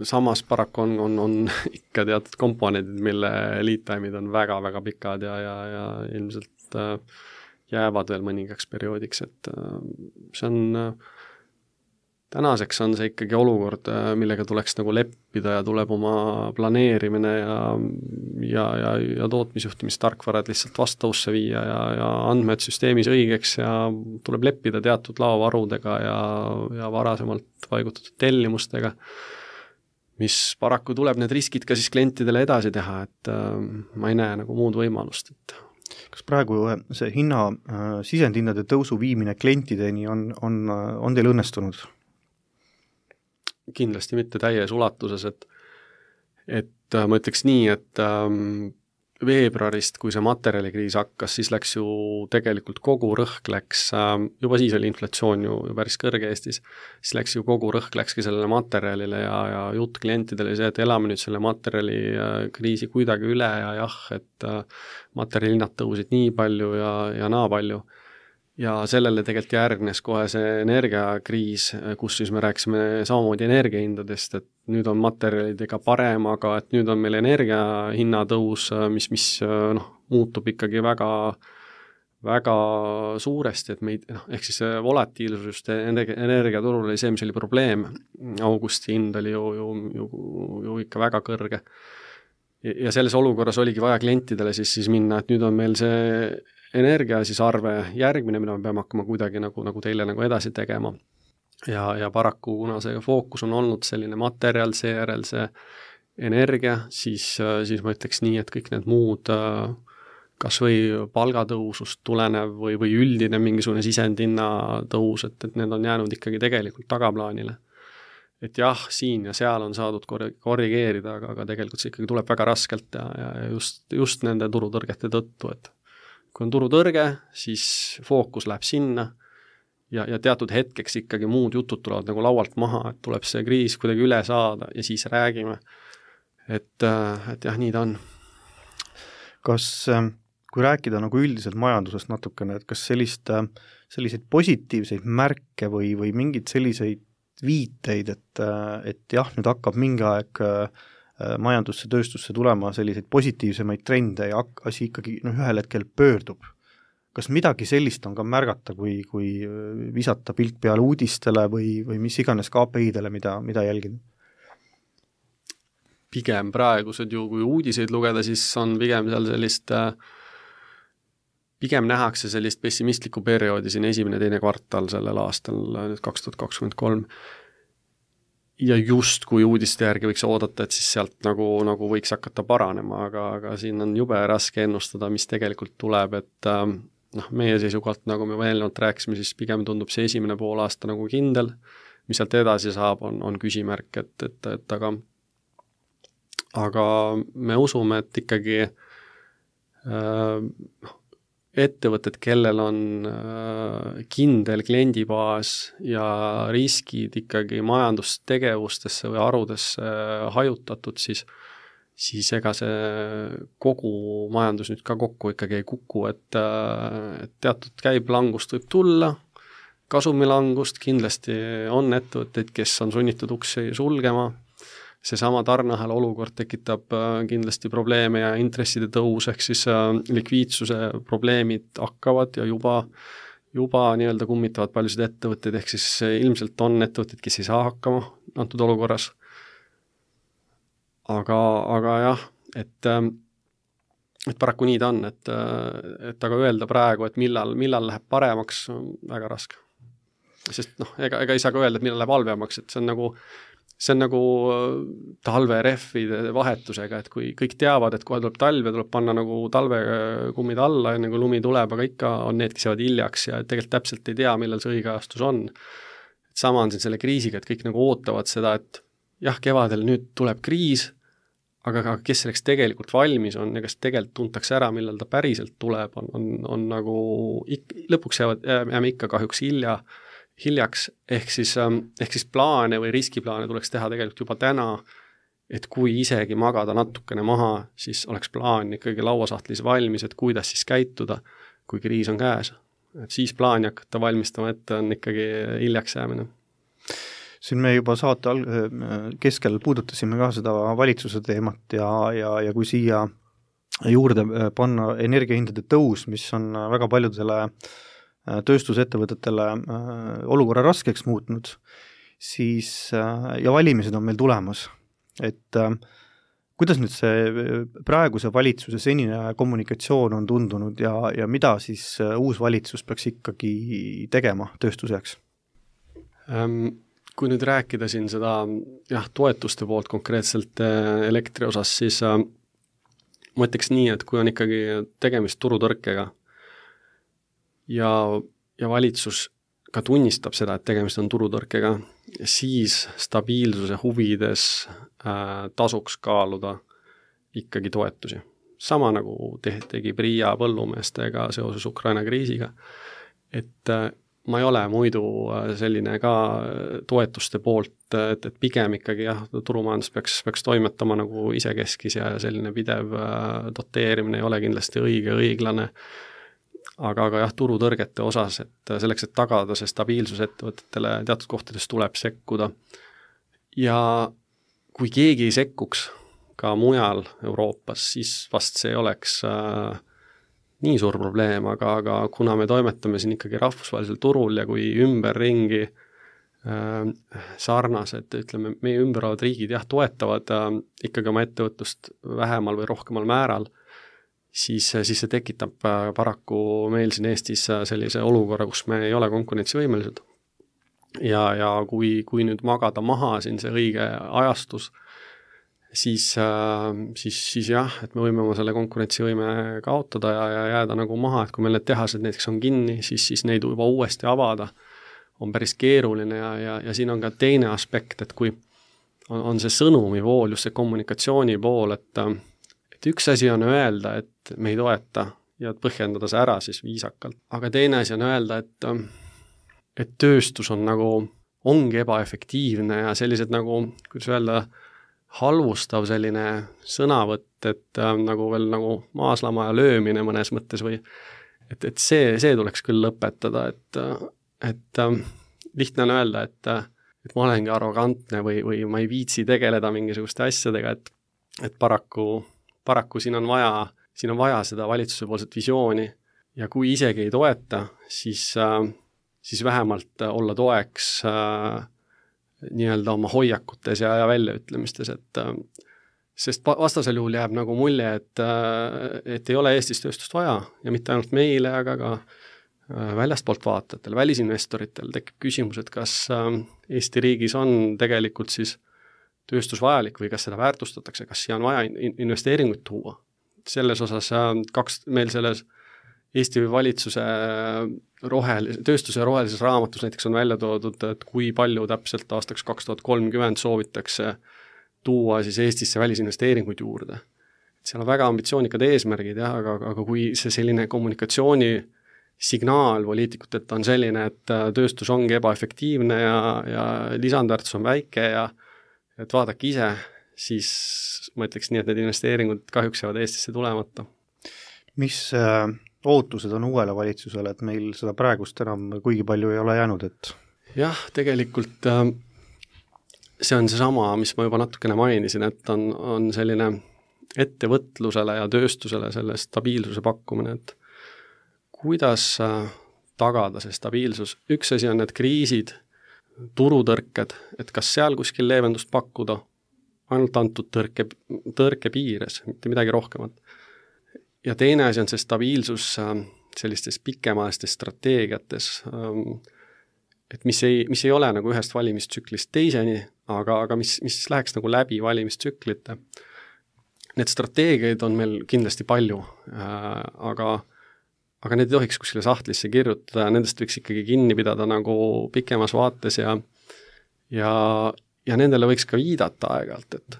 samas paraku on ikka teatud komponendid, mille lead-time'id on väga-väga pikad ja ilmselt jäävad veel mõningaks perioodiks, et see on tänaseks on see ikkagi olukord, millega tuleks nagu leppida ja tuleb oma planeerimine ja tootmisjuhtimistarkvarad lihtsalt vastavusse viia ja andmed süsteemis õigeks ja tuleb leppida teatud laovarudega ja varasemalt paigutatud tellimustega, mis paraku tuleb need riskid ka siis klientidele edasi teha, et ma ei näe nagu muud võimalust. Kas praegu see sisendhindade tõusu viimine klientideni on teil õnnestunud? Kindlasti mitte täies ulatuses, et ma ütleks nii, et veebruarist, kui see materjalikriis hakkas, siis läks ju tegelikult kogu rõhk läks, juba siis oli inflatsioon ju päris kõrge Eestis, siis läks ju kogu rõhk läkski sellele materjalile ja jutt klientidele see, et elame nüüd selle materjalikriisi kuidagi üle ja et materjalihinnad tõusid nii palju ja naa palju. Ja sellele tegelikult järgnes kohe see energiakriis, kus siis me rääkisime samamoodi energiahindadest, et nüüd on materjalidega parem, aga et nüüd on meil energiahinnatõus, mis muutub ikkagi väga, väga suuresti, et meid, ehk siis volatiilsus just energiaturul oli see, mis oli probleem. Augusti hind oli ju ikka väga kõrge. Ja selles olukorras oligi vaja klientidele siis minna, et nüüd on meil see energia siis arve järgmine, mida me peame hakkama kuidagi nagu teile nagu edasi tegema. Ja paraku, kuna see fookus on olnud selline materjal, seejärel see energia, siis ma ütleks nii, et kõik need muud kas või palgatõusust tulenev või üldine mingisugune sisendhinna tõus, et need on jäänud ikkagi tegelikult tagaplaanile. et jah, siin ja seal on saadud korrigeerida, aga tegelikult see ikkagi tuleb väga raskelt ja just nende turutõrgete tõttu, et kui on turutõrge, siis fookus läheb sinna ja teatud hetkeks ikkagi muud jutud tulevad nagu laualt maha, et tuleb see kriis kuidagi üle saada ja siis räägime. Et jah, nii ta on. Kas, kui rääkida nagu üldiselt majandusest natukene, et kas selliseid positiivseid märke või mingid selliseid viiteid, et jah, nüüd hakkab mingi aeg majandusse, tööstusse tulema selliseid positiivsemaid trende ja asi ikkagi ühel hetkel pöördub. Kas midagi sellist on ka märgata, kui visata pilk peale uudistele või mis iganes KPI-dele, mida jälgida? Pigem praegused ju, kui uudiseid lugeda, siis on pigem seal pigem nähakse sellist pessimistlikku perioodi siin 1.–2. kvartal sellel aastal, nüüd 2023. Ja just kui uudiste järgi võiks oodata, et siis sealt nagu võiks hakata paranema, aga siin on jube raske ennustada, mis tegelikult tuleb, et meie seisukohalt, nagu me eelnevalt rääkisime, siis pigem tundub see 1. poolaasta nagu kindel, mis sealt edasi saab, on küsimärk, et aga me usume, et ikkagi ettevõtted, kellel on kindel kliendibaas ja riskid ikkagi majandustegevustesse või harudesse hajutatud, siis ega see kogu majandus nüüd ka kokku ikkagi ei kuku, et teatud käiblangust võib tulla, kasumilangust kindlasti on ettevõtteid, kes on sunnitud uksi sulgema, seesama tarneahel olukord tekitab kindlasti probleeme ja intresside tõus, ehk siis likviidsuse probleemid hakkavad ja juba nii-öelda kummitavad paljusid ettevõtteid, ehk siis ilmselt on ettevõtteid, kes ei saa hakkama antud olukorras. Aga jah, et paraku nii ta on, et aga öelda praegu, et millal läheb paremaks, on väga raske. Sest ega ei saa ka öelda, et millal läheb halvemaks, et see on nagu talverehvide vahetusega, et kui kõik teavad, et kohe tuleb talv ja tuleb panna nagu talvekummid alla, enne kui lumi tuleb, aga ikka on need, kes jäävad hiljaks ja tegelikult täpselt ei tea, millal see õige ajastus on. Et sama on siin selle kriisiga, et kõik nagu ootavad seda, et jah, kevadel nüüd tuleb kriis, aga kes selleks tegelikult valmis on ja kes tegelikult tuntakse ära, millal ta päriselt tuleb, on nagu lõpuks jääme ikka kahjuks hiljaks, ehk siis plaane või riskiplaane tuleks teha tegelikult juba täna, et kui isegi magada natukene maha, siis oleks plaan ikkagi lauasahtlis valmis, et kuidas siis käituda, kui kriis on käes. Et siis plaani hakata valmistama ette on ikkagi hiljaks jäämine. Siin me juba saate keskel puudutasime ka seda valitsuse teemat ja kui siia juurde panna energiahindade tõus, mis on väga paljudele tööstusettevõtetele olukorra raskeks muutnud, siis ja valimised on meil tulemas. Et kuidas nüüd see praeguse valitsuse senine kommunikatsioon on tundunud ja mida siis uus valitsus peaks ikkagi tegema tööstuseks? Kui nüüd rääkida siin seda toetuste poolt konkreetselt elektri osas, siis ma ütleks nii, et kui on ikkagi tegemist turutõrkega, ja valitsus ka tunnistab seda, et tegemist on turutõrkega, siis stabiilsuse huvides tasuks kaaluda ikkagi toetusi. Sama nagu tegi Priia põllumeestega seoses Ukraina kriisiga, et ma ei ole muidu selline ka toetuste poolt, et pigem ikkagi turumajandus peaks toimetama nagu isekeskis ja selline pidev doteerimine ei ole kindlasti õiglane. Aga turutõrgete osas, et selleks, et tagada see stabiilsus ettevõtetele teatud kohtades tuleb sekkuda. Ja kui keegi ei sekkuks ka mujal Euroopas, siis vast see oleks nii suur probleem, aga kuna me toimetame siin ikkagi rahvusvahelisel turul ja kui ümberringi sarnased, ütleme, meie ümberavad riigid toetavad ikkagi oma ettevõtlust vähemal või rohkemal määral, siis see tekitab paraku meil siin Eestis sellise olukorra, kus me ei ole konkurentsivõimelised. Ja kui nüüd magada maha siin see õige ajastus, siis jah, et me võime oma selle konkurentsivõime kaotada ja jääda nagu maha, et kui meil need tehased näiteks on kinni, siis neid juba uuesti avada on päris keeruline ja siin on ka teine aspekt, et kui on see sõnumi pool, just see kommunikatsiooni pool, et üks asi on öelda, et me ei toeta ja põhjendada see ära siis viisakalt, aga teine asi on öelda, et tööstus on nagu, ongi ebaefektiivne ja sellised nagu, kuidas öelda, halvustav selline sõnavõtt, et nagu veel nagu maaslama ja löömine mõnes mõttes või et see tuleks küll lõpetada, et lihtne on öelda, et ma olengi arrogantne või ma ei viitsi tegeleda mingisuguste asjadega, et paraku siin on vaja seda valitsuse poolset visiooni ja kui isegi ei toeta, siis vähemalt olla toeks nii-öelda oma hoiakutes ja väljaütlemistes, sest vastasel juhul jääb nagu mulje, et ei ole Eestis tööstust vaja ja mitte ainult meile, aga ka väljastpoolt vaatajatel, välisinvestoritel tekib küsimus, et kas Eesti riigis on tegelikult siis tööstus vajalik või kas seda väärtustatakse, kas siia on vaja investeeringuid tuua. Selles osas meil selles Eesti valitsuse tööstuse rohelises raamatus näiteks on välja toodud, et kui palju täpselt aastaks 2030 soovitakse tuua siis Eestisse välisinvesteeringuid juurde. Seal on väga ambitsioonikad eesmärgid, aga kui see selline kommunikatsiooni signaal poliitikutelt on selline, et tööstus ongi ebaefektiivne ja lisandväärtus on väike ja et vaadake ise, siis ma ütleks nii, et need investeeringud kahjuks jäävad Eestisse tulemata. Mis ootused on uuele valitsusele, et meil seda praegust enam kuigi palju ei ole jäänud, et? Jah, tegelikult see on seesama, mis ma juba natukene mainisin, et on selline ettevõtlusele ja tööstusele selle stabiilsuse pakkumine, et kuidas tagada see stabiilsus. Üks asi on need kriisid, turutõrked, et kas seal kuskil leevendust pakkuda ainult antud tõrke piires, mitte midagi rohkemat. Ja teine asi on see stabiilsus sellistes pikemaalistes strateegiates, et mis ei ole nagu ühest valimistsüklist teiseni, aga mis läheks nagu läbi valimistsüklite. Need strateegiaid on meil kindlasti palju, aga need ei tohiks kuskile sahtlisse kirjutada ja nendest võiks ikkagi kinni pidada nagu pikemas vaates ja nendele võiks ka viidata aeg-ajalt, et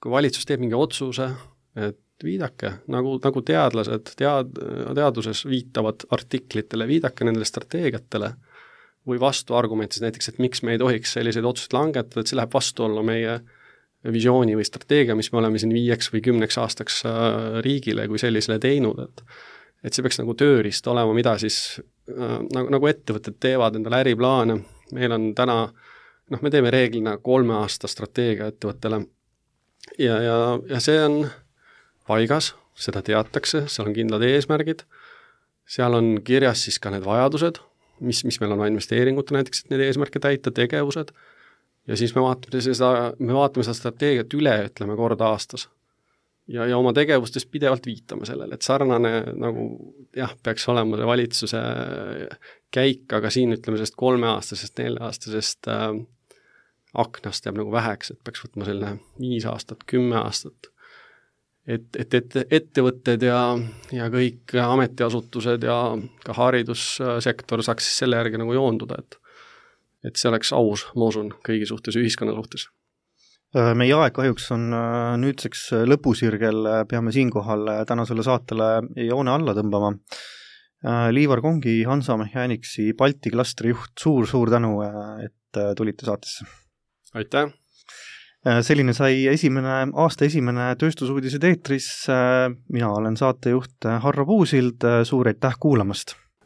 kui valitsus teeb mingi otsuse, et viidake, nagu teadlased teaduses viitavad artiklitele, viidake nendele strateegiatele või vastuargumentides näiteks, et miks me ei tohiks selliseid otsuseid langetada, et see läheb vastuollu meie visiooni või strateegia, mis me oleme siin 5 või 10 aastaks riigile kui sellisele teinud, et see peaks nagu tööriist olema, mida siis nagu ettevõtted teevad endale äriplaane. Meil on täna, me teeme reeglina 3 aasta strateegia ettevõttele ja see on paigas, seda teatakse, seal on kindlad eesmärgid, seal on kirjas siis ka need vajadused, mis meil on investeeringute näiteks, et need eesmärke täita, tegevused ja siis me vaatame seda strateegiat üle, ütleme kord aastas. Ja oma tegevustes pidevalt viitame sellele, et sarnane nagu peaks olema see valitsuse käik, aga siin ütleme sellest 3-aastasest, 4-aastasest aknast jääb nagu väheks, et peaks võtma selline 5 aastat, 10 aastat. Et ettevõtted ja kõik ametiasutused ja ka haridussektor saaks siis selle järgi nagu joonduda, et see oleks aus, ma usun, kõigi suhtes, ühiskonna suhtes. Meie aeg kahjuks on nüüdseks lõpusirgel, peame siinkohal tänasele saatele joone alla tõmbama. Liivar Kongi, Hansa Mechanics'i Balti klastri juht, suur tänu, et tulite saatesse. Aitäh! Selline sai aasta esimene tööstusuudised eetris. Mina olen saatejuht Harro Puusild, suur aitäh kuulamast!